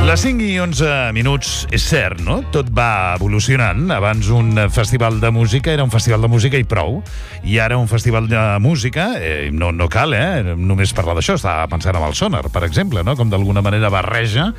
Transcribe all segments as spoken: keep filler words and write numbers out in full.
Les cinc i onze minuts, és cert, no? Tot va evolucionant. Abans un festival de música era un festival de música i prou. I ara un festival de música, eh, no, no cal, eh? Només parlar d'això. Estava pensant en el Sonar, per exemple, no? Com d'alguna manera barreja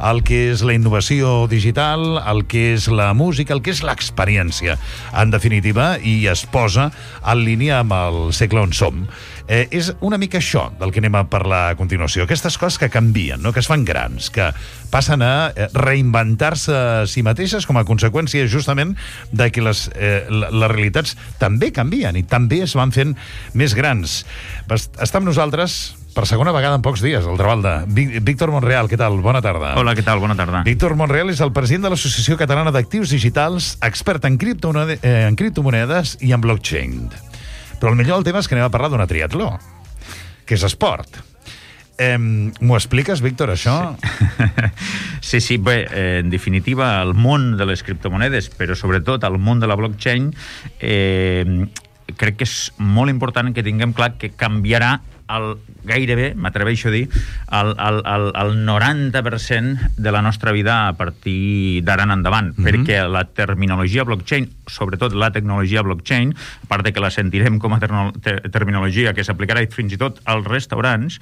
el que és la innovació digital, el que és la música, el que és l'experiència, en definitiva, i es posa en línia amb el segle on som. Eh, és una mica això del que anem a parlar a continuació. Aquestes coses que canvien, no? Que es fan grans, que passen a reinventar-se a si mateixes com a conseqüència justament de que les, eh, les realitats també canvien i també es van fent més grans. Està amb nosaltres per segona vegada en pocs dies, al Trabalda. Víctor Monreal, què tal? Bona tarda. Hola, què tal? Bona tarda. Víctor Monreal és el president de l'Associació Catalana d'Actius Digitals, expert en, criptomonede, eh, en criptomonedes i en blockchain. Però el millor del tema és que anem a parlar d'una triatló, que és esport. Eh, M'ho expliques, Víctor, això? Sí, sí, sí bé, eh, en definitiva, el món de les criptomonedes, però sobretot el món de la blockchain, eh, crec que és molt important que tinguem clar que canviarà el, gairebé, m'atreveixo a dir, el, el, el, el noranta per cent de la nostra vida a partir d'ara en endavant, mm-hmm. perquè la terminologia blockchain, sobretot la tecnologia blockchain, a part de que la sentirem com a terno, te, terminologia que s'aplicarà fins i tot als restaurants,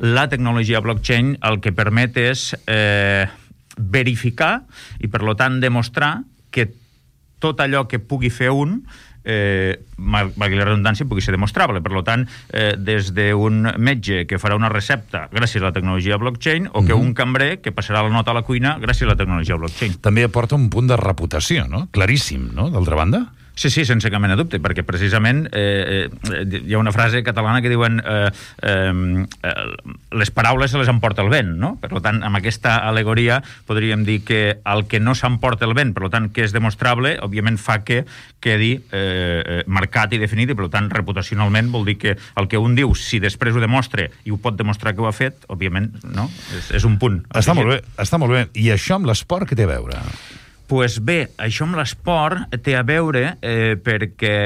la tecnologia blockchain el que permet és eh, verificar i, per tant, demostrar que tot allò que pugui fer un Eh, valgui la redundància, pugui ser demostrable. Per tant, eh, des d'un metge que farà una recepta gràcies a la tecnologia blockchain o que mm-hmm. un cambrer que passarà la nota a la cuina gràcies a la tecnologia blockchain. També aporta un punt de reputació, no? Claríssim, no? D'altra banda? Sí, sí, sense cap mena de dubte, perquè precisament eh, eh, hi ha una frase catalana que diuen eh, eh, les paraules se les emporta el vent, no? Per tant, amb aquesta alegoria podríem dir que el que no s'emporta el vent, per tant, que és demostrable, òbviament fa que quedi eh, marcat i definit, i per tant, reputacionalment vol dir que el que un diu, si després ho demostra i ho pot demostrar que ho ha fet, òbviament, no? És, és un punt. Està molt bé, està molt bé. I això amb l'esport què té a veure? Pues bé, això amb l'esport té a veure eh, perquè,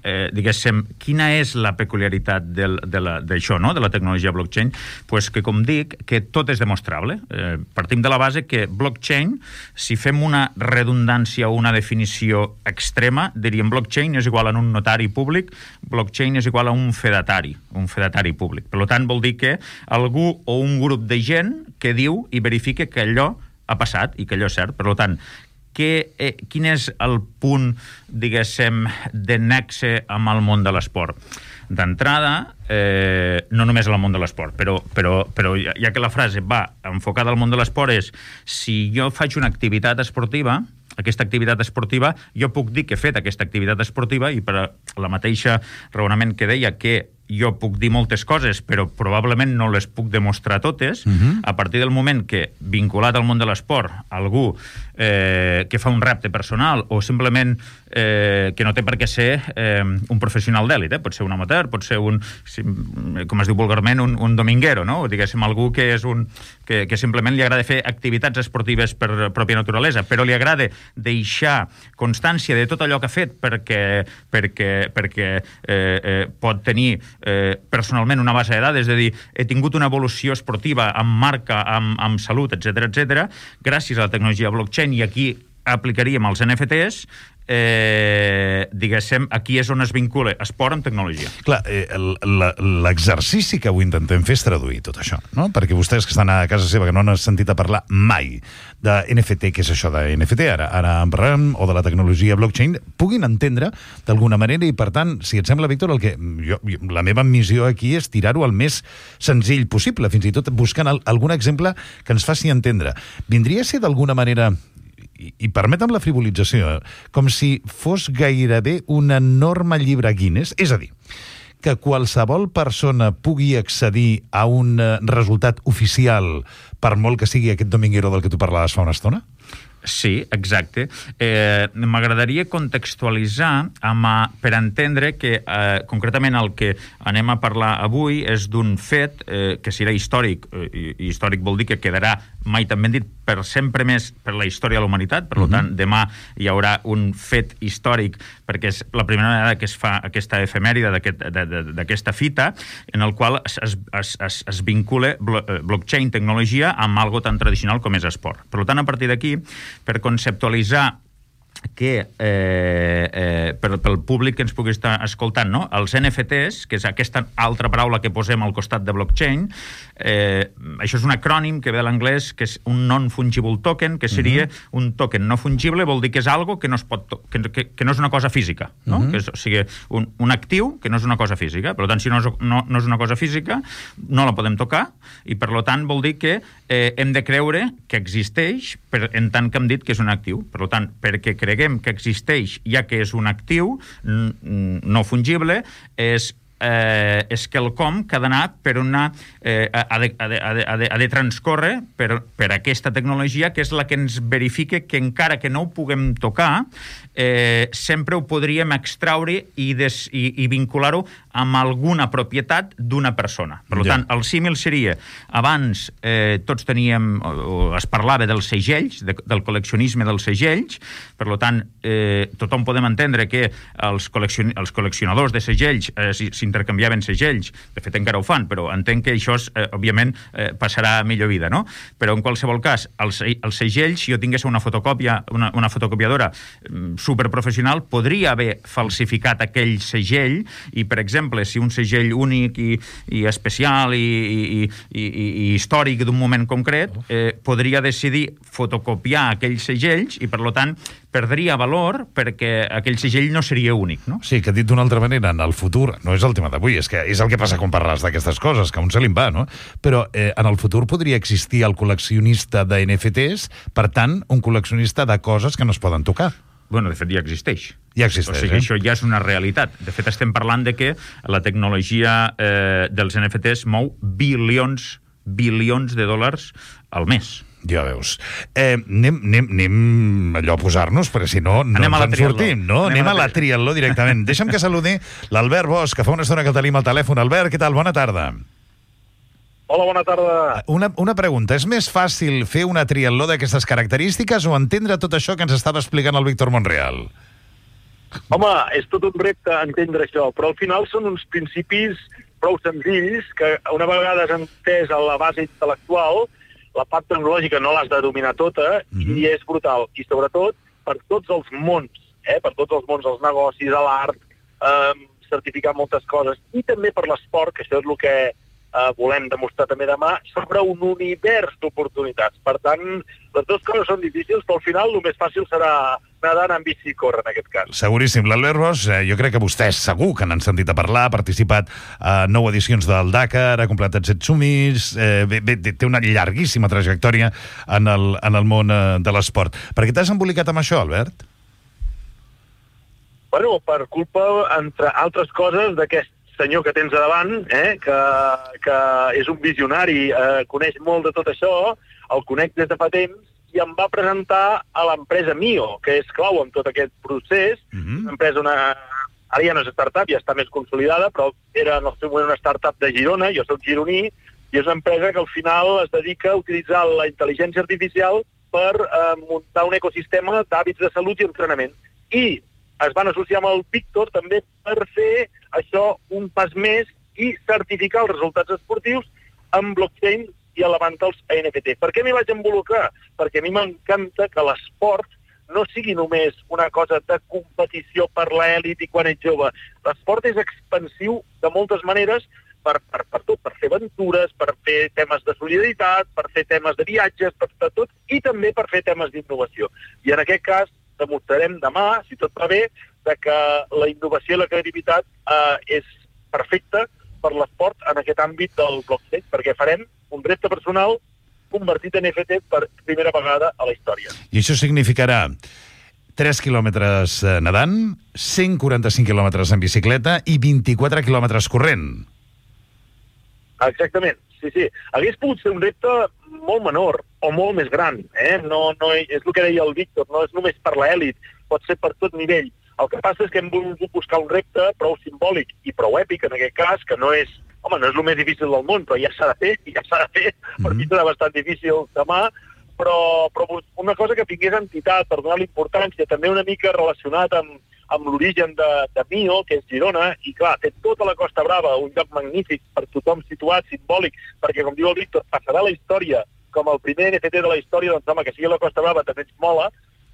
eh, diguéssim, quina és la peculiaritat del, de la, d'això, no? De la tecnologia blockchain? Pues que, com dic, que tot és demostrable. Eh, partim de la base que blockchain, si fem una redundància o una definició extrema, diríem blockchain és igual a un notari públic, blockchain és igual a un fedatari, un fedatari públic. Per tant, vol dir que algú o un grup de gent que diu i verifica que allò ha passat i que allò és cert. Per tant, Que, eh, quin és el punt, diguéssim, de nexe amb el món de l'esport? D'entrada, eh, no només al món de l'esport, però, però, però ja, ja que la frase va enfocada al món de l'esport és, si jo faig una activitat esportiva, aquesta activitat esportiva, jo puc dir que he fet aquesta activitat esportiva i per la mateixa raonament que deia que jo puc dir moltes coses, però probablement no les puc demostrar totes, uh-huh. a partir del moment que, vinculat al món de l'esport, algú eh, que fa un repte personal o simplement eh, que no té per què ser eh, un professional d'èlit, eh? Pot ser un amateur, pot ser un, com es diu vulgarment, un, un dominguero, no? O diguéssim, algú que és un que, que simplement li agrada fer activitats esportives per pròpia naturalesa, però li agrada deixar constància de tot allò que ha fet perquè, perquè, perquè eh, eh, pot tenir Eh, personalment una base de dades, és a dir, he tingut una evolució esportiva amb marca, amb, amb salut, etcètera, etcètera, gràcies a la tecnologia blockchain, i aquí aplicaríem els N F Ts, eh, diguéssim, aquí és on es vincula esport amb tecnologia. Clar, eh, l'exercici que avui intentem fer és traduir tot això, no? Perquè vostès que estan a casa seva, que no han sentit a parlar mai de N F T, què és això de N F T, ara, ara en parlem, o de la tecnologia blockchain, puguin entendre d'alguna manera, i per tant, si et sembla, Víctor, el que jo, la meva missió aquí és tirar-ho el més senzill possible, fins i tot buscant el, algun exemple que ens faci entendre. Vindria a ser d'alguna manera, i, i permetem la frivolització, com si fos gairebé un enorme llibre Guinness, és a dir, que qualsevol persona pugui accedir a un resultat oficial per molt que sigui aquest dominguero del que tu parlaves fa una estona? Sí, exacte. Eh, M'agradaria contextualitzar amb, per entendre que eh, concretament el que anem a parlar avui és d'un fet eh, que serà històric, eh, i històric vol dir que quedarà, mai tan ben dit, per sempre més per la història de la humanitat. Per mm-hmm. tant, demà hi haurà un fet històric, perquè és la primera vegada que es fa aquesta efemèride d'aquesta fita, en el qual es, es, es, es vincula blockchain, tecnologia, amb algo tan tradicional com és esport. Per tant, a partir d'aquí, per conceptualitzar que eh, eh, per, pel públic que ens pugui estar escoltant, no? Els N F Ts, que és aquesta altra paraula que posem al costat de blockchain, eh, això és un acrònim que ve de l'anglès, que és un non-fungible token, que seria uh-huh. un token no fungible, vol dir que és algo que no, es pot que, que, que no és una cosa física, no? Uh-huh. Que és, o sigui, un, un actiu que no és una cosa física. Per tant, si no és, no, no és una cosa física, no la podem tocar, i per tant vol dir que eh, hem de creure que existeix, per, en tant que hem dit que és un actiu. Per tant, perquè creguem que existeix, ja que és un actiu no fungible, és eh, és quelcom que ha d'anar per una... Eh, ha, de, ha, de, ha, de, ha de transcórrer per, per aquesta tecnologia, que és la que ens verifica que encara que no ho puguem tocar, eh, sempre ho podríem extraure i, des, i, i vincular-ho amb alguna propietat d'una persona. Per ja. tant, el símil seria, abans eh, tots teníem, o, o es parlava dels segells, de, del col·leccionisme dels segells, per tant, eh, tothom podem entendre que els, col·leccion, els col·leccionadors de segells eh, s'intercanviaven segells, de fet encara ho fan, però entenc que això, eh, òbviament, eh, passarà a millor vida, no? Però en qualsevol cas, els, els segells, si jo tingués una fotocòpia, una, una fotocopiadora superprofessional, podria haver falsificat aquell segell i, per exemple, si un segell únic i, i especial i, i, i, i històric d'un moment concret, eh, podria decidir fotocopiar aquells segells i, per tant, perdria valor perquè aquell segell no seria únic, no? Sí, que dit d'una altra manera, en el futur, no és el tema d'avui, és que és el que passa quan parles d'aquestes coses, que a un se li va, no? Però eh, en el futur podria existir el col·leccionista de N F Ts, per tant, un col·leccionista de coses que no es poden tocar. Bueno, de fet, ja existeix. Ja existeix, o sigui, eh? això ja és una realitat. De fet, estem parlant de que la tecnologia eh, dels N F Ts mou bilions, bilions de dòlars al mes. Ja veus. Eh, anem, anem, anem allò a posar-nos, perquè si no, no ens en sortim, no? Anem, anem a la triatló directament. Deixa'm que saludi l'Albert Bosch, que fa una estona que el tenim al telèfon. Albert, què tal? Bona tarda. Hola, bona tarda. Una, una pregunta. És més fàcil fer una triatló d'aquestes característiques o entendre tot això que ens estava explicant el Víctor Monreal? Home, és tot un repte entendre això, però al final són uns principis prou senzills que una vegada has entès a la base intel·lectual, la part tecnològica no l'has de dominar tota, mm-hmm. i és brutal. I sobretot per tots els mons, eh? per tots els mons, els negocis, l'art, eh, certificar moltes coses, i també per l'esport, que això és el que eh, volem demostrar també demà, sobre un univers d'oportunitats. Per tant, les dues coses són difícils, però al final el més fàcil serà nedar en bici i córrer, en aquest cas. Seguríssim. L'Albert Bosch, eh, jo crec que vostès segur que n'han sentit a parlar, ha participat a nou edicions del Dakar, ha completat set sumis, eh, bé, bé, té una llarguíssima trajectòria en el, en el món eh, de l'esport. Per què t'has embolicat amb això, Albert? Bueno, per culpa, entre altres coses, d'aquest senyor que tens a davant, eh, que, que és un visionari, eh, coneix molt de tot això, el conec des de fa temps, i em va presentar a l'empresa Mio, que és clau en tot aquest procés. Mm-hmm. Una empresa, una... ara ja no és startup, ja està més consolidada, però era en el seu moment una startup de Girona, jo soc gironí, i és una empresa que al final es dedica a utilitzar la intel·ligència artificial per eh, muntar un ecosistema d'hàbits de salut i entrenament. I es van associar amb el Víctor també per fer això un pas més i certificar els resultats esportius amb blockchain i elevant-los a N F T. Per què m'hi vaig involucrar? Perquè a mi m'encanta que l'esport no sigui només una cosa de competició per l'elit i quan ets jove. L'esport és expansiu de moltes maneres per, per, per tot, per fer aventures, per fer temes de solidaritat, per fer temes de viatges, per fer tot, i també per fer temes d'innovació. I en aquest cas demostrarem demà, si tot va bé, de que la innovació i la creativitat eh, és perfecta per l'esport en aquest àmbit del blockchain, perquè farem un repte personal convertit en N F T per primera vegada a la història. I això significarà tres quilòmetres nedant, cent quaranta-cinc quilòmetres en bicicleta i vint-i-quatre quilòmetres corrent. Exactament. sí, sí. Hagués pogut ser un repte molt menor o molt més gran, eh? No, no, és el que deia el Víctor, no és només per l'elit, pot ser per tot nivell. El que passa és que hem volgut buscar un repte prou simbòlic i prou èpic, en aquest cas, que no és, home, no és el més difícil del món, però ja s'ha de fer, ja s'ha de fer, mm-hmm. per mi serà bastant difícil demà, però, però una cosa que tingués entitat per donar l'importància, també una mica relacionat amb, amb l'origen de, de Mio, que és Girona, i clar, té tota la Costa Brava, un lloc magnífic per tothom situat, simbòlic, perquè, com diu el Víctor, passarà la història com el primer N F T de la història, doncs home, que sigui la Costa Brava també ens mola,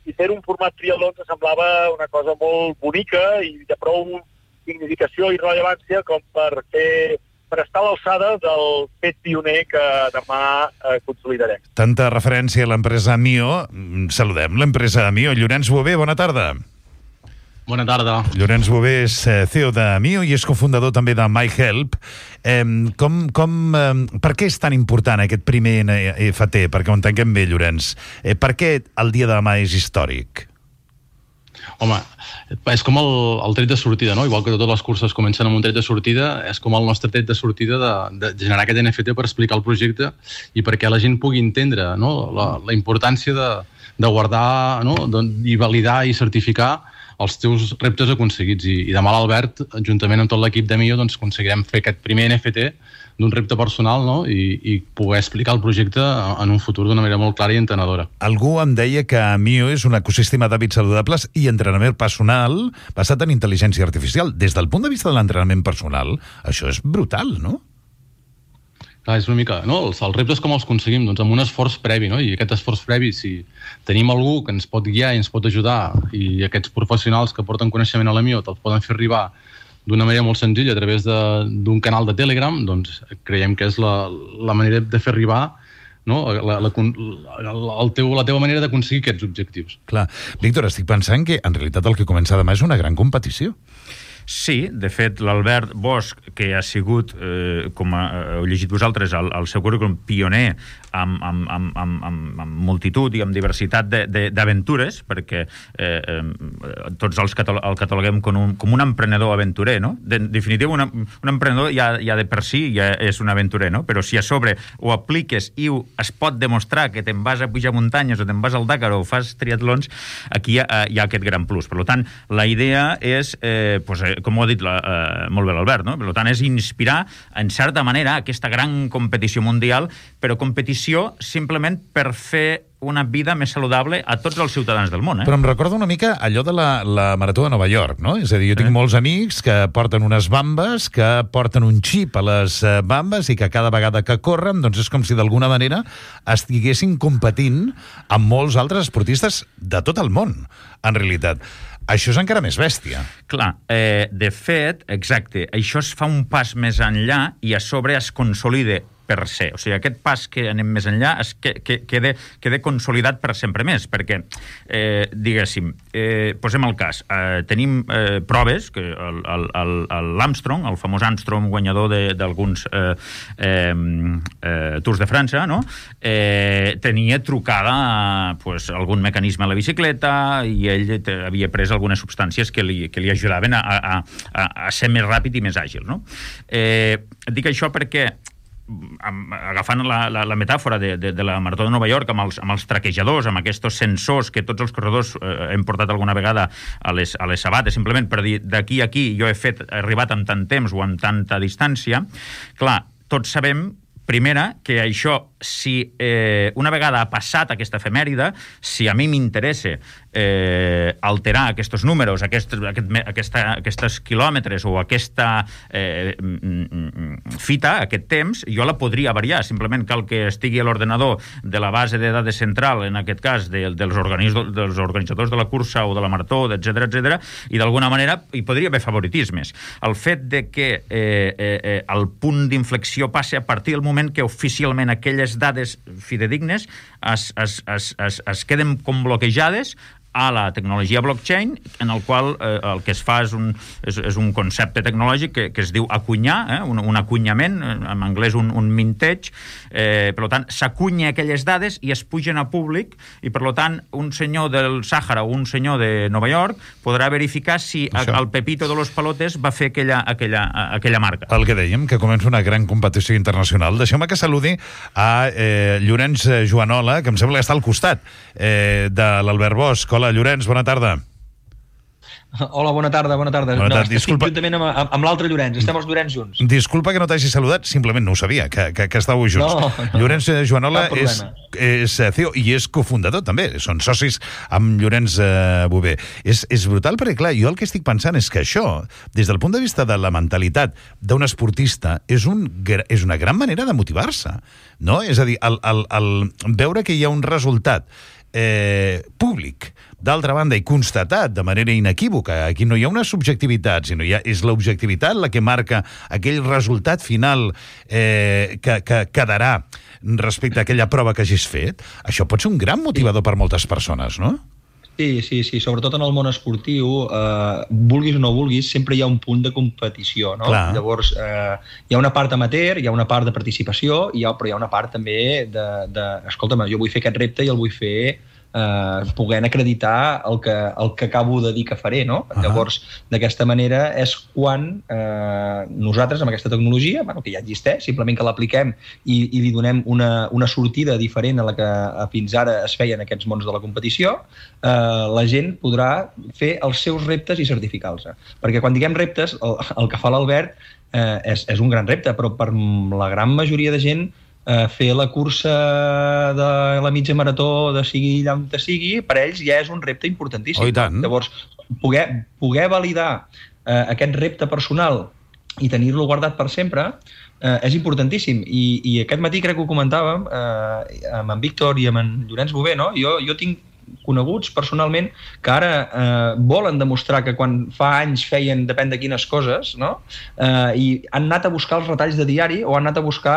i fer un format triatló ens semblava una cosa molt bonica i de prou significació i rellevància com per fer per estar a l'alçada del fet pioner que demà eh, consolidarem. Tanta referència a l'empresa Mio. Saludem l'empresa Mio. Llorenç Bové, bona tarda. Bona tarda. Llorenç Bové és C E O de Mio i és cofundador també de MyHelp. Eh, com, com, eh, per què és tan important aquest primer N F T? Perquè ho entenguem bé, Llorenç. Eh, per què el dia de demà és històric? Home, és com el, el tret de sortida, no? Igual que totes les curses comencen amb un tret de sortida, és com el nostre tret de sortida de, de generar aquest N F T per explicar el projecte i perquè la gent pugui entendre, no? la, la importància de, de guardar, no? I validar i certificar els teus reptes aconseguits. I, i demà l'Albert, juntament amb tot l'equip de Mio, doncs aconseguirem fer aquest primer N F T d'un repte personal, no? I, i poder explicar el projecte en un futur d'una manera molt clara i entenedora. Algú em deia que Mio és un ecosistema d'hàbits saludables i entrenament personal basat en intel·ligència artificial. Des del punt de vista de l'entrenament personal, això és brutal, no? Clar, és una mica, no? Els, els reptes com els aconseguim? Doncs amb un esforç previ, no? I aquest esforç previ, si tenim algú que ens pot guiar i ens pot ajudar i aquests professionals que porten coneixement a la Mio te'ls poden fer arribar d'una manera molt senzilla a través d'un canal de Telegram, doncs creiem que és la, la manera de fer arribar, no? la, la, el teu, la teva manera d'aconseguir aquests objectius. Clar. Víctor, estic pensant que en realitat el que comença demà és una gran competició. Sí, de fet, l'Albert Bosch, que ha sigut, eh, com heu llegit vosaltres, el, el seu currículum pioner amb, amb, amb, amb, amb, amb multitud i amb diversitat d'aventures, perquè eh, eh, tots els catalo el cataloguem com un, com un emprenedor aventurer, no? De, en definitiva, una, un emprenedor ja, ja de per si ja és un aventurer, no? Però si a sobre ho apliques i ho, es pot demostrar que te'n vas a pujar muntanyes o te'n vas al Dakar o fas triatlons, aquí hi ha, hi ha aquest gran plus. Per tant, la idea és, eh, pues, eh, com ho ha dit la, eh, molt bé l'Albert, no? Per tant, és inspirar, en certa manera, aquesta gran competició mundial, però competició simplement per fer una vida més saludable a tots els ciutadans del món. Eh? Però em recorda una mica allò de la, la Marató de Nova York, no? És a dir, jo tinc eh? molts amics que porten unes bambes, que porten un xip a les bambes i que cada vegada que corren, doncs és com si d'alguna manera estiguessin competint amb molts altres esportistes de tot el món, en realitat. Això és encara més bèstia. Clar, eh, de fet, exacte, això es fa un pas més enllà i a sobre es consolida per se. O sigui, aquest pas que anem més enllà es que, que, quede, quede consolidat per sempre més, perquè, eh, diguéssim, eh, posem el cas, eh, tenim eh, proves, que l'Armstrong, el, el, el famós Armstrong, guanyador d'alguns eh, eh, eh, Tours de França, no? eh, tenia trucada pues, algun mecanisme a la bicicleta i ell havia pres algunes substàncies que li, que li ajudaven a, a, a, a ser més ràpid i més àgil. No? Eh, dic això perquè agafant la, la, la metàfora de, de, de la Marató de Nova York amb els, amb els traquejadors, amb aquests sensors que tots els corredors eh, hem portat alguna vegada a les, a les sabates, simplement per dir d'aquí a aquí jo he fet, he arribat amb tant temps o amb tanta distància. Clar, tots sabem, primera, que això, si eh, una vegada ha passat aquesta efemèride, si a mi m'interessa eh, alterar aquests números, aquest, aquest, aquesta, aquests quilòmetres o aquesta eh, fita, aquest temps, jo la podria variar. Simplement cal que estigui a l'ordenador de la base de dades central, en aquest cas de, dels, dels organitzadors de la cursa o de la marató, etcètera, etcètera, i d'alguna manera hi podria haver favoritismes. El fet de que eh, eh, el punt d'inflexió passi a partir del moment que oficialment aquelles dades fidedignes es, es, es, es, es queden com bloquejades a la tecnologia blockchain, en el qual eh, el que es fa és un, és, és un concepte tecnològic que, que es diu acunyar, eh, un, un acunyament, en anglès un, un mintage, eh, per tant, s'acunya aquelles dades i es pugen a públic, i per tant, un senyor del Sàhara o un senyor de Nova York podrà verificar si Això. el Pepito de los Palotes va fer aquella, aquella, aquella marca. El que dèiem, que comença una gran competició internacional. Deixeu-me que saludi a eh, Llorenç Joanola, que em sembla que està al costat eh, de l'Albert Bosch. Hola, Llorenç, bona tarda. Hola, bona tarda, bona tarda. Bona tarda. No, Disculpa. Estic juntament amb, amb l'altre Llorenç, estem els Llorenç junts. Disculpa que no t'hagi saludat, simplement no ho sabia, que, que, que estàveu junts. No, no, Llorenç Joanola és, és C E O i és cofundador també, són socis amb Llorenç eh, Bové. És, és brutal perquè, clar, jo el que estic pensant és que això, des del punt de vista de la mentalitat d'un esportista, és, un, és una gran manera de motivar-se, no? És a dir, el, el, el veure que hi ha un resultat eh, públic, d'altra banda, i constatat de manera inequívoca, aquí no hi ha una subjectivitat, sinó ja és l'objectivitat la que marca aquell resultat final eh, que, que quedarà respecte a aquella prova que hagis fet, això pot ser un gran motivador per moltes persones, no? Sí, sí, sí, sobretot en el món esportiu, eh, vulguis o no vulguis, sempre hi ha un punt de competició, no? Clar. Llavors, eh, hi ha una part amateur, hi ha una part de participació, hi ha, però hi ha una part també de, de escolta'm, jo vull fer aquest repte i el vull fer eh, podent acreditar el que, el que acabo de dir que faré, no? Uh-huh. Llavors, d'aquesta manera és quan eh, nosaltres, amb aquesta tecnologia, bueno, que ja existeix, simplement que l'apliquem i, i li donem una, una sortida diferent a la que fins ara es feia en aquests mons de la competició, eh, la gent podrà fer els seus reptes i certificar-los. Perquè quan diguem reptes, el, el que fa l'Albert eh, és, és un gran repte, però per la gran majoria de gent Uh, fer la cursa de la mitja marató de sigui allà on te sigui, per ells ja és un repte importantíssim. Oh, i tant. Llavors, poder, poder validar uh, aquest repte personal i tenir-lo guardat per sempre uh, és importantíssim. I, i aquest matí crec que ho comentàvem uh, amb en Víctor i amb en Llorenç Bové, no? Jo, jo tinc coneguts personalment que ara eh, volen demostrar que quan fa anys feien depèn de quines coses, no? Eh, i han anat a buscar els retalls de diari o han anat a buscar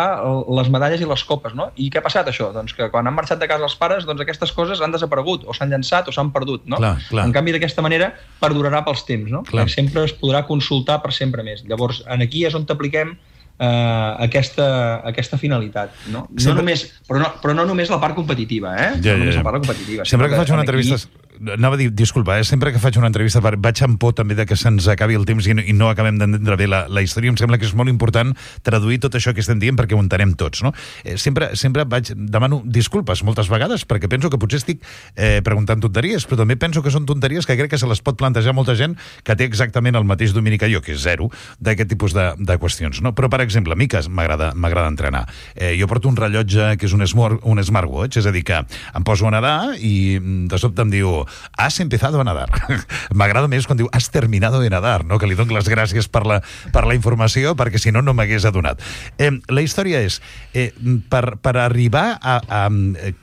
les medalles i les copes, no? I què ha passat això? Doncs que quan han marxat de casa els pares, doncs aquestes coses han desaparegut o s'han llançat o s'han perdut, no? Clar, clar. En canvi, d'aquesta manera perdurarà pels temps, no? Sempre es podrà consultar per sempre més. Llavors, aquí és on t'apliquem Uh, aquesta, aquesta finalitat, no? No sempre... només, però, no, però no només la part competitiva, eh? Ja, no només ja, ja. la part competitiva. Sempre que faig una entrevista... Aquí... Anava a dir, disculpa, eh? sempre que faig una entrevista vaig amb por també de que se'ns acabi el temps i no, i no acabem d'entendre bé la, la història. Em sembla que és molt important traduir tot això que estem dient perquè ho entenem tots, no? Eh, sempre, sempre vaig, demano disculpes moltes vegades perquè penso que potser estic eh, preguntant tonteries, però també penso que són tonteries que crec que se les pot plantejar molta gent que té exactament el mateix domini que jo, que és zero, d'aquest tipus de, de qüestions, no? Però, per exemple, a mi que m'agrada m'agrada entrenar. Eh, jo porto un rellotge que és un, smart, un smartwatch, és a dir, que em poso a nedar i de sobte em diu has empezado a nadar. M'agrada més quan diu has terminado de nadar, no? Que li dono les gràcies per la, per la informació, perquè si no, no m'hagués adonat. Eh, la història és, eh, per, per arribar a, a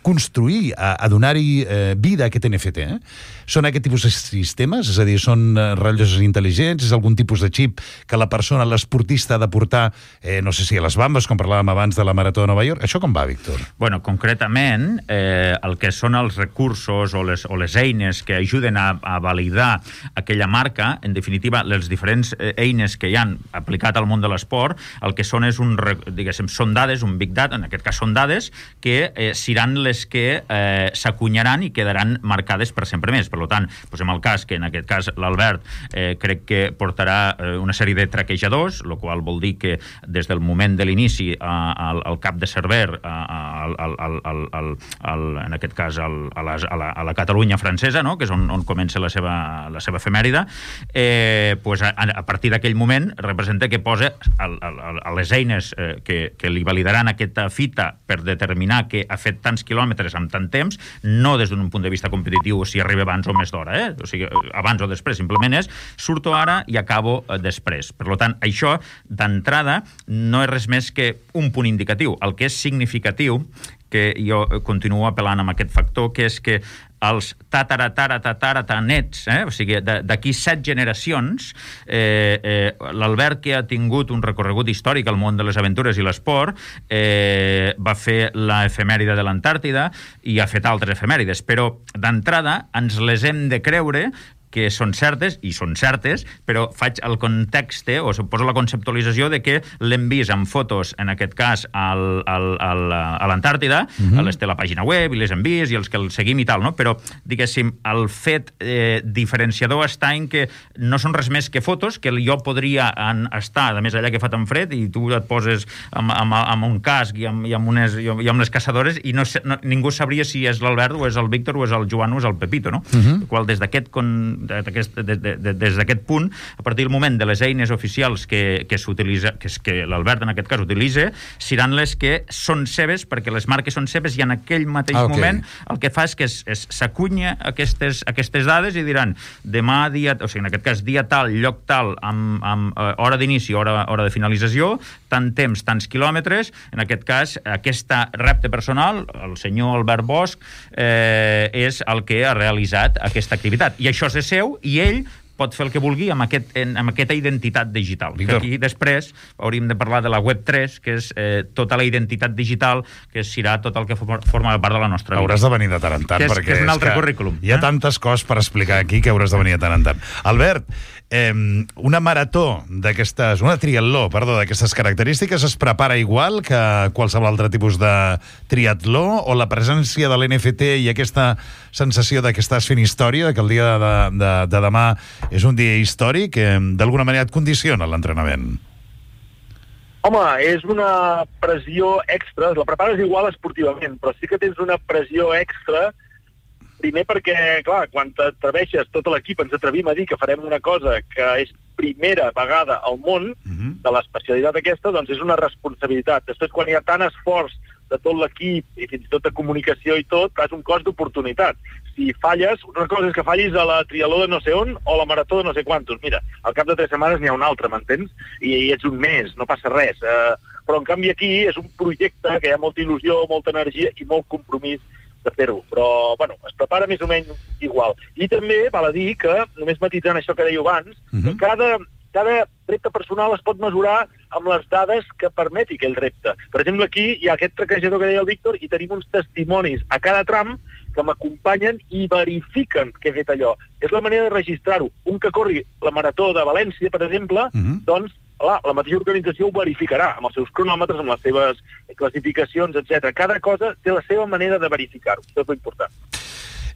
construir, a, a donar-hi eh, vida a aquest N F T, eh? Són aquest tipus de sistemes? És a dir, són eh, rellotges intel·ligents? És algun tipus de xip que la persona, l'esportista, ha de portar, eh, no sé si a les bambes, com parlàvem abans de la Marató de Nova York? Això com va, Víctor? Bueno, concretament, eh, el que són els recursos o les, o les eines que ajuden a, a validar aquella marca, en definitiva, les diferents eines que hi han aplicat al món de l'esport, el que són és un, diguéssim, són dades, un big data, en aquest cas són dades, que eh, seran les que eh, s'acunyaran i quedaran marcades per sempre més. Per tant, posem el cas que en aquest cas l'Albert eh, crec que portarà eh, una sèrie de traquejadors, el qual vol dir que des del moment de l'inici eh, al, al cap de server, eh, al, al, al, al, al, en aquest cas al, a, la, a, la, a la Catalunya francesa, no? Que és on, on comença la seva, la seva efemèride, eh, pues a, a partir d'aquell moment representa que posa el, el, el, les eines eh, que, que li validaran aquesta fita per determinar que ha fet tants quilòmetres amb tant temps, no des d'un punt de vista competitiu si arriba abans o més d'hora, eh? O sigui, abans o després, simplement és surto ara i acabo eh, després. Per tant, això, d'entrada, no és res més que un punt indicatiu. El que és significatiu, que jo continuo apel·lant amb aquest factor, que és que els tatara-tatara-tatara-tanets, eh? O sigui, d'aquí set generacions, eh, eh, l'Albert, que ha tingut un recorregut històric al món de les aventures i l'esport, eh, va fer l'efemèride de l'Antàrtida i ha fet altres efemèrides, però d'entrada ens les hem de creure que són certes, i són certes, però faig el context, o suposo la conceptualització de que l'hem vist en fotos, en aquest cas, al, al, al, a l'Antàrtida, mm-hmm. les té la pàgina web, i les hem vist, i els que el seguim i tal, no? Però, diguéssim, el fet eh, diferenciador està en que no són res més que fotos, que jo podria en, estar, a més allà que fa tan fred, i tu et poses amb, amb, amb un casc i amb, i amb, unes, i amb les caçadores, i no, no, ningú sabria si és l'Albert, o és el Víctor, o és el Joan, o és el Pepito, no? Mm-hmm. El qual, des d'aquest con Aquest, de, de, de, des d'aquest punt, a partir del moment de les eines oficials que, que s'utilitza, que, que l'Albert en aquest cas utilitza, seran les que són seves, perquè les marques són seves, i en aquell mateix ah, okay. moment el que fa és que s'acunya aquestes, aquestes dades i diran, demà dia, o sigui, en aquest cas dia tal, lloc tal, amb, amb uh, hora d'inici, hora, hora de finalització, tant temps, tants quilòmetres. En aquest cas, aquesta repte personal, el senyor Albert Bosch, eh, és el que ha realitzat aquesta activitat. I això és seu, i ell pot fer el que vulgui amb, aquest, amb aquesta identitat digital. Que aquí després hauríem de parlar de la web tres, que és eh, tota la identitat digital, que serà tot el que forma part de la nostra vida. Hauràs de venir de tant en tant, que és, perquè que és un altre és currículum. Hi ha eh? tantes coses per explicar aquí que hauràs de venir de tant en tant. Albert, eh, una marató d'aquestes, una triatló, perdó, d'aquestes característiques es prepara igual que qualsevol altre tipus de triatló, o la presència de l'N F T i aquesta sensació de que estàs fent història, de que el dia de, de, de demà és un dia històric, que d'alguna manera et condiciona l'entrenament? Home, és una pressió extra, la prepares igual esportivament, però sí que tens una pressió extra, primer perquè, clar, quan t'atreveixes, tot l'equip ens atrevim a dir que farem una cosa que és primera vegada al món, uh-huh. de l'especialitat aquesta, doncs és una responsabilitat. Després, quan hi ha tant esforç de tot l'equip, i fins i tot de comunicació i tot, és un cost d'oportunitat. Si falles, una cosa és que fallis a la triatló de no sé on o a la marató de no sé quantos. Mira, al cap de tres setmanes n'hi ha una altra, m'entens? I, I ets un mes, no passa res. Eh, però, en canvi, aquí és un projecte que hi ha molta il·lusió, molta energia i molt compromís de fer-ho. Però, bueno, es prepara més o menys igual. I també val a dir que, només matitzant això que dèieu abans, uh-huh. que cada... cada repte personal es pot mesurar amb les dades que permeti aquell repte. Per exemple, aquí hi ha aquest traquejador que deia el Víctor i tenim uns testimonis a cada tram que m'acompanyen i verifiquen que he fet allò. És la manera de registrar-ho. Un que corri la marató de València, per exemple, uh-huh. doncs la, la mateixa organització ho verificarà amb els seus cronòmetres, amb les seves classificacions, etcètera. Cada cosa té la seva manera de verificar-ho. Això és important.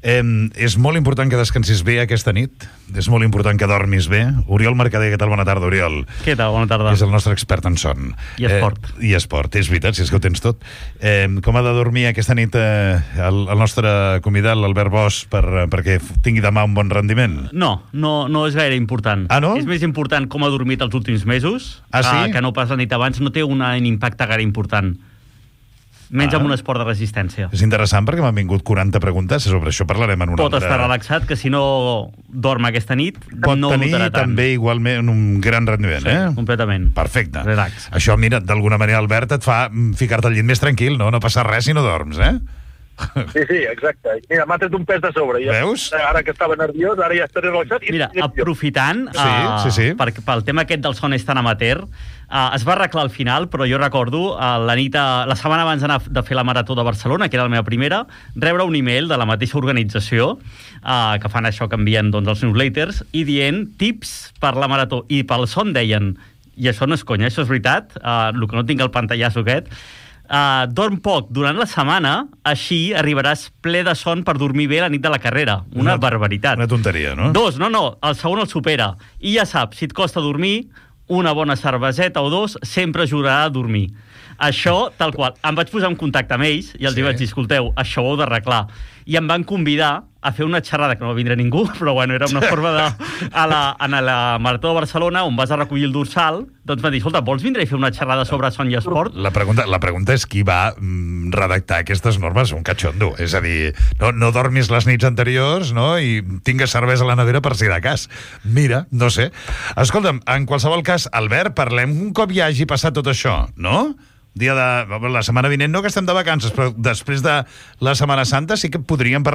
Eh, és molt important que descansis bé aquesta nit, és molt important que dormis bé. Oriol Mercader, què tal? Bona tarda, Oriol. Què tal? Bona tarda. És el nostre expert en son. I esport. Eh, I esport, és veritat, si és que ho tens tot. Eh, com ha de dormir aquesta nit eh, el, el nostre convidat, l'Albert Bosch, per, perquè tingui demà un bon rendiment? No, no, no és gaire important. Ah, no? És més important com ha dormit els últims mesos, ah, sí? eh, que no pas la nit abans. No té un impacte gaire important. Menys ah. amb un esport de resistència. És interessant perquè m'han vingut quaranta preguntes, sobre això parlarem en una Pot altra... estar relaxat, que si no dorm aquesta nit, Pot no tenir notarà tant. també igualment un gran rendiment, sí, eh? completament. Perfecte. Relax. Això, mira, d'alguna manera, Albert, et fa ficar-te al llit més tranquil, no? No passa res si no dorms, eh? Sí, sí, exacte. Mira, m'ha tret un pes de sobre. Ja, veus? Ara que estava nerviós, ara ja estaré relaxat. I Mira, aprofitant, sí, uh, sí, sí. Per, pel tema aquest del son és tan amateur, uh, es va arreglar al final, però jo recordo uh, la nit, uh, la setmana abans d'anar de fer la Marató de Barcelona, que era la meva primera, rebre un email de la mateixa organització, uh, que fan això, que envien doncs, els newsletters, i dient tips per la Marató. I pel son deien, i això no és conya, això és veritat, uh, el que no tinc el pantallasso aquest, Uh, dorm poc durant la setmana, així arribaràs ple de son per dormir bé la nit de la carrera. Una, una barbaritat. Una tonteria, no? Dos, no, no, el segon el supera. I ja saps, si et costa dormir, una bona cerveseta o dos sempre ajudarà a dormir. Això, tal qual. Em vaig posar en contacte amb ells i els sí. vaig dir, escolteu, això ho heu d'arreglar. I em van convidar a fer una xerrada, que no va vindre ningú, però bueno, era una forma de... A la, a la Marató de Barcelona, on vas a recollir el dorsal, doncs van dir, escolta, vols vindre i fer una xerrada sobre son i esport? La pregunta, la pregunta és qui va mm, redactar aquestes normes, un catxondo. És a dir, no, no dormis les nits anteriors, no?, i tingues cervesa a la nevera per si de cas. Mira, no sé. Escolta'm, en qualsevol cas, Albert, parlem un cop ja hagi passat tot això, no? Dia de... La setmana vinent no, que estem de vacances, però després de la Setmana Santa sí que podríem parlar